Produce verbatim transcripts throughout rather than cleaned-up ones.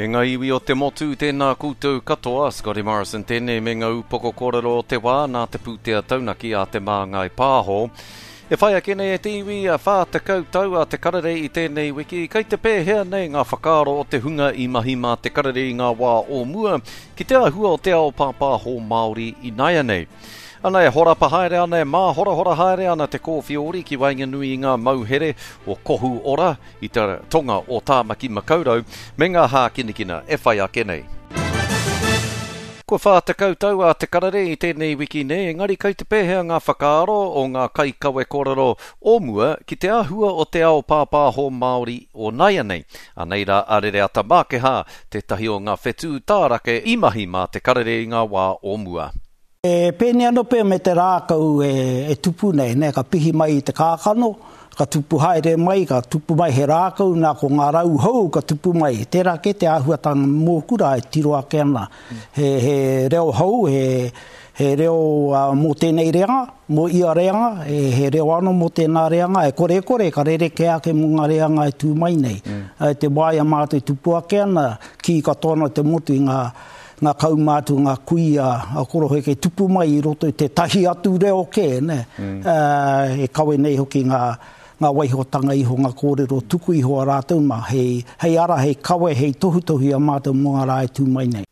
E ngā iwi o te motu, tēnā koutou katoa, Scotty Morrison tēnei me ngā upoko kōrero o te wā nā te pūtea taunaki a Te Māngai Pāho. E whai ake nei e te iwi a whā tekau tau a Te Karere i tēnei wiki, kei te pēhea nei ngā whakaaro o te hunga i mahi mā Te Karere i ngā wā o mua ki te āhua o te ao pāpāho Māori ināianei. Ana e horapa haere ana, e māhorahora haere ana te kōwhiori ki waenganui i ngā mauhere o Kohu Ora i te tonga o Tāmaki Makaurau me ngā hākinakina e whai ake nei. Kua whā tekau tau a Te Karere i tēnei wiki nei, engari kei te pēhea ngā whakaaro o ngā kaikawe kōrero o mua ki te āhua o te ao pāpāho Māori o nāianei. Anei rā a Rereata Mākehā, tētahi o ngā whetū tārake i mahi mā Te Karere i ngā wā o mua. E pēnei anō pea me te rākau e, e tupu nei, ne, ka pihi mai i te kākano, ka tupu haere mai, ka tupu mai he rākau, nā ko ngā rau hou ka tupu mai. Tērā kē te āhuatanga mōku rā e tiro ake ana. He, he reo hou, he, he reo uh, mō tēnei reanga, mō ia reanga, he, he reo anō mō tēnā reanga, e kore kore ka rerekē ake mō ngā reanga e tū mai nei. Mm. E te wā i a mātou e tupu ake ana, kī katoa ana te motu i ngā ngā kaumātua, ngā kuia a koroheke tupu mai i roto i tētahi atu reo kē, ne? Mm. Uh, e kawe nei hoki ngā, ngā waihotanga iho, ngā kōrero tuku iho a rātou mā, hei, hei ara, hei kawe, hei tohutohu i a mātou mō ngā rā e tū mai nei.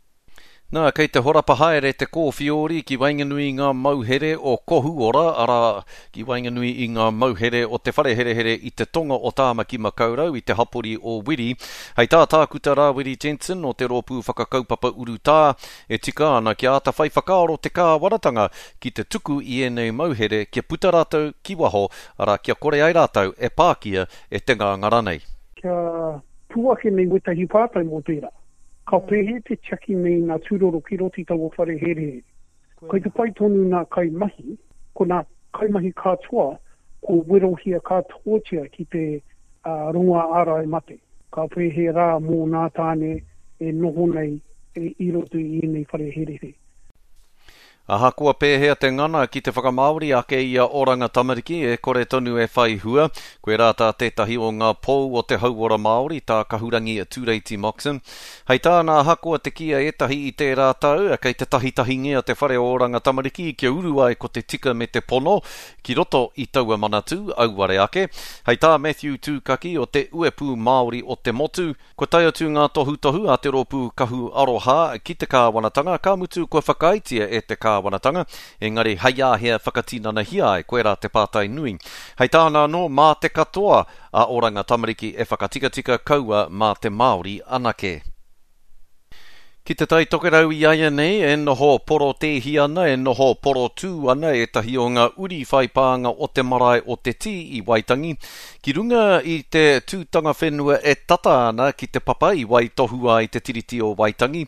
Nā, kei te horapa haere te kōwhiori ki waenganui i ngā mauhere o Kohu Ora, arā, ki waenganui i ngā mauhere o te whare herehere i te tonga o Tāmaki Makaurau i te hapori o Wiri. Hei tā Tākuta Rāwiri Jensen o te rōpū whakakaupapa urutā, e tika ana kia āta whai whakaaro te kāwanatanga ki te tuku i ēnei mauhere kia puta rātou ki waho, arā, kia kore ai rātou e pākia e te ngāngara nei. Kia pū ake nei wētahi pātai mō tērā. Ka pēhea te tiaki nei ngā tūroro ki roto i taua whare herehere. Kei te pai tonu ngā kaimahi, ko ngā kaimahi katoa, ko werohia katoatia ki te uh, rongoā ārai mate. Ka pēhea rā mō ngā tāne e noho nei e, i roto i ēnei whare herehere. Ahakoa pēhea te ngana ki te whakamāori ake i a Oranga Tamariki e kore tonu e whai hua, koe rā tā tētahi o ngā pou o te hauora Māori, tā Kahurangi Tureiti Moxon. Hei tāna ahakoa te kī a ētahi i tērā tau, kei te tahitahingia te whare o Oranga Tamariki kia uru ai ko te tika me te pono ki roto i taua manatū, auare ake. Hei tā Matthew Tūkaki o te Uepū Māori o te motu, kua tae atu ngā tohutohu a te rōpū Kahu Aroha ki te kāwanatanga, ka mutu kua whakaaetia e te kāwanatanga, engari hei āhea whakatinanahia ai, koirā te pātai nui. Hei tāna anō, mā te katoa a Oranga Tamariki e whakatikatika kaua mā te Māori anake. Ki te Tai Tokerau i aia nei, e noho porotēhi ana, e noho porotū ana ētahi o ngā uri whai pānga o te marae o Te Tī i Waitangi, ki runga i te tūtanga whenua e tata ana ki te papa i waitohua ai te Tiriti o Waitangi.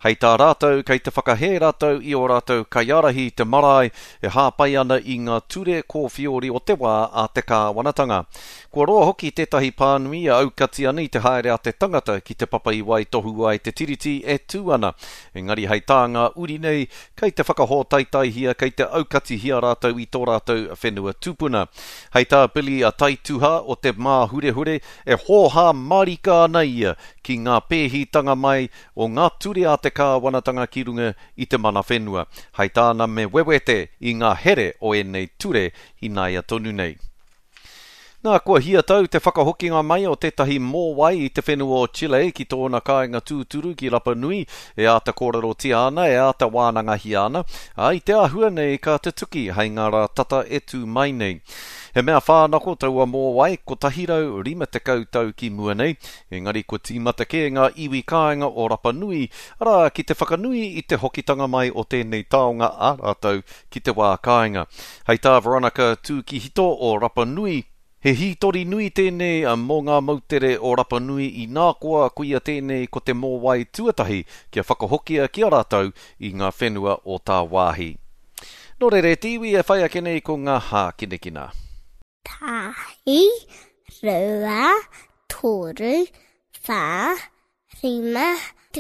Hei tā rātou, kei te whakahē rātou i ō rātou kaiārahi i te marae e hāpai ana i ngā ture kōwhiori o te wā a te kāwanatanga. Kua roa hoki tētahi pānui e aukati ana i te haere a te tangata ki te papa i waitohua ai te Tiriti e tū ana. Engari hei tā ngā uri nei, kei te whakahōtaetaihia, kei te aukatihia rātou i tō rātou whenua tupuna. Hei tā Billy a Taituha o te Māhurehure, e hōhā marika ana ia ki ngā pēhitanga mai o ngā ture a te kāwanatanga ki runga i te mana whenua. Hei tāna me wewete i ngā here o ēnei ture ināia tonu nei. Nā, kua hia tau te whakahokinga mai o tētahi mōwai i te whenua o Chile ki tōna kāinga tūturu ki Rapa Nui, e āta kōrerotia ana, e āta wānangahia ana, ā, i te āhua nei ka tutuki hei ngā rā tata e tū mai nei. He mea whānako taua mōwai kotahi rau rima tekau tau ki mua nei, engari kua tīmata kē ngā iwi kāinga o Rapa Nui, arā, ki te whakanui i te hokitanga mai o tēnei taonga a rātou ki te wā kāinga. Hei tā Veronica Tūkihito o Rapa Nui, he hītori nui tēnei mō ngā moutere o Rapa Nui i nā koa koia tēnei ko te mōwai tuatahi kia whakahokia ki a rātou i ngā whenua o tāwāhi. Nō reira, e te iwi e whai ake nei ko ngā hākinakina. Tahi, rua, toru, whā, rima,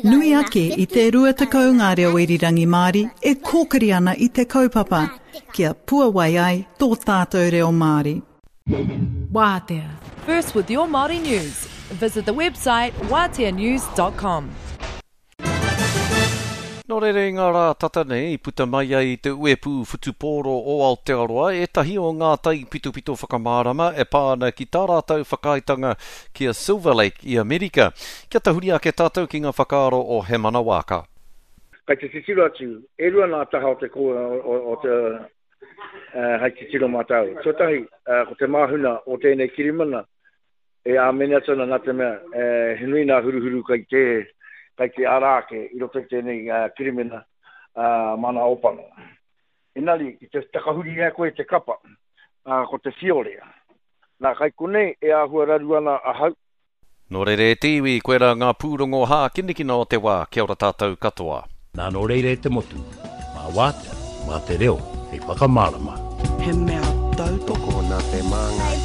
Nui ake i te rua tekau ngā reo irirangi Māori e kōkiri ana i te kaupapa, kia puawai ai tō tātou reo Māori. Wātea. First with your Māori news. Visit the website wātea news dot com. Nō reira i ngā rā tata nei i puta mai ai te uepū whutupōro o Aotearoa ētahi o ngā taipitopito whakamārama e pā ana ki tā rātou whakaaetanga ki a Silver Lake i Amerika. Kia tahuri ake tātou ki ngā whakaaro o Hemana Waaka. Kai te titiro atu, e rua nā taha o te, ko, o, o te uh, hei titiro mā tāu. Tuatahi, uh, ko te māhuna o tēnei kirimana, e āmene atu ana nā te mea, e, he nui nā huruhuru kai te, kai te ara ake i roto i tēnei uh, kirimana uh, mana opano. Engari, ki te takahuri e koe te kapa, uh, ko te whiore. Nā, kai konei e āhua raru ana ahau. Nō reira e te iwi, koirā ngā pūrongo hākinakina o te wā, kia ora tātou katoa. Nā nō reira e te motu, mā wātea, mā te reo, hei whakamārama. He mea tautoko Tokona te māngai.